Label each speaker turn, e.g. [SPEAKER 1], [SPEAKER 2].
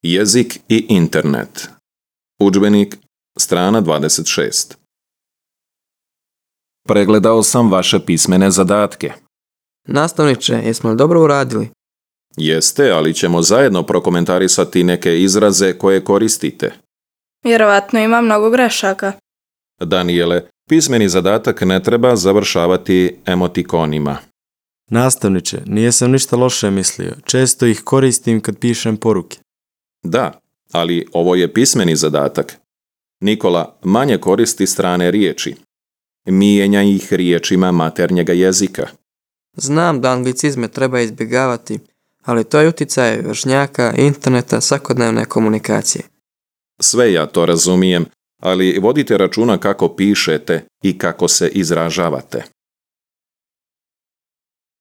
[SPEAKER 1] Jezik i internet. Udžbenik, strana 26. Pregledao sam vaše pismene zadatke.
[SPEAKER 2] Nastavniče, jesmo li dobro uradili?
[SPEAKER 1] Jeste, ali ćemo zajedno prokomentarisati neke izraze koje koristite.
[SPEAKER 3] Vjerovatno ima mnogo grešaka.
[SPEAKER 1] Danijele, pismeni zadatak ne treba završavati emotikonima.
[SPEAKER 4] Nastavniče, nisam ništa loše mislio. Često ih koristim kad pišem poruke.
[SPEAKER 1] Da, ali ovo je pismeni zadatak. Nikola manje koristi strane riječi. Mijenja ih riječima maternjega jezika.
[SPEAKER 2] Znam da anglicizme treba izbjegavati, ali to je utjecaj vršnjaka, interneta, svakodnevne komunikacije.
[SPEAKER 1] Sve ja to razumijem, ali vodite računa kako pišete i kako se izražavate.